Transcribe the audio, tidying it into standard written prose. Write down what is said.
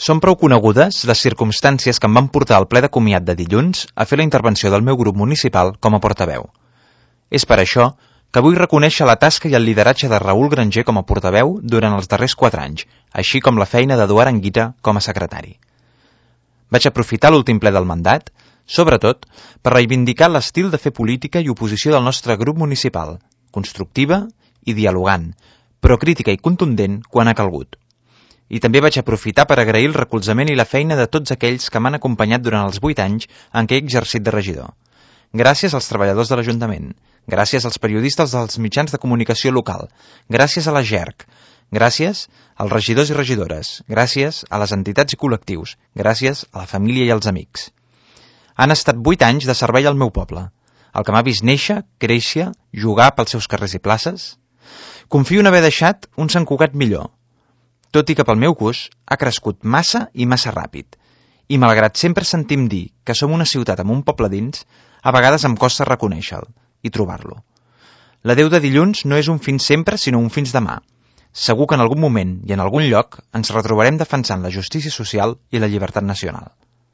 Són prou conegudes les circumstàncies que em van portar al ple de comiat de dilluns a fer la intervenció del meu grup municipal com a portaveu. És per això que vull reconèixer la tasca i el lideratge de Raül Granger com a portaveu durant els darrers 4 anys, així com la feina d'Eduard Anguita com a secretari. Vaig aprofitar l'últim ple del mandat, sobretot, per reivindicar l'estil de fer política i oposició del nostre grup municipal, constructiva i dialogant, però crítica i contundent quan ha calgut. I també vaig aprofitar per agrair el recolzament i la feina de tots aquells que m'han acompanyat durant els 8 anys en què he exercit de regidor. Gràcies als treballadors de l'Ajuntament, gràcies als periodistes dels mitjans de comunicació local, gràcies a la GERC, gràcies als regidors i regidores, gràcies a les entitats i col·lectius, gràcies a la família i als amics. Han estat 8 anys de servei al meu poble, el que m'ha vist néixer, créixer, jugar pels seus carrers i places. Confio en haver deixat un Sant Cugat millor, tot i que pel meu gust ha crescut massa i massa ràpid. I malgrat sempre sentim dir que som una ciutat amb un poble dins, a vegades em costa reconèixer-lo i trobar-lo. L'adeu de dilluns no és un fins sempre, sinó un fins demà. Segur que en algun moment i en algun lloc ens retrobarem defensant la justícia social i la llibertat nacional.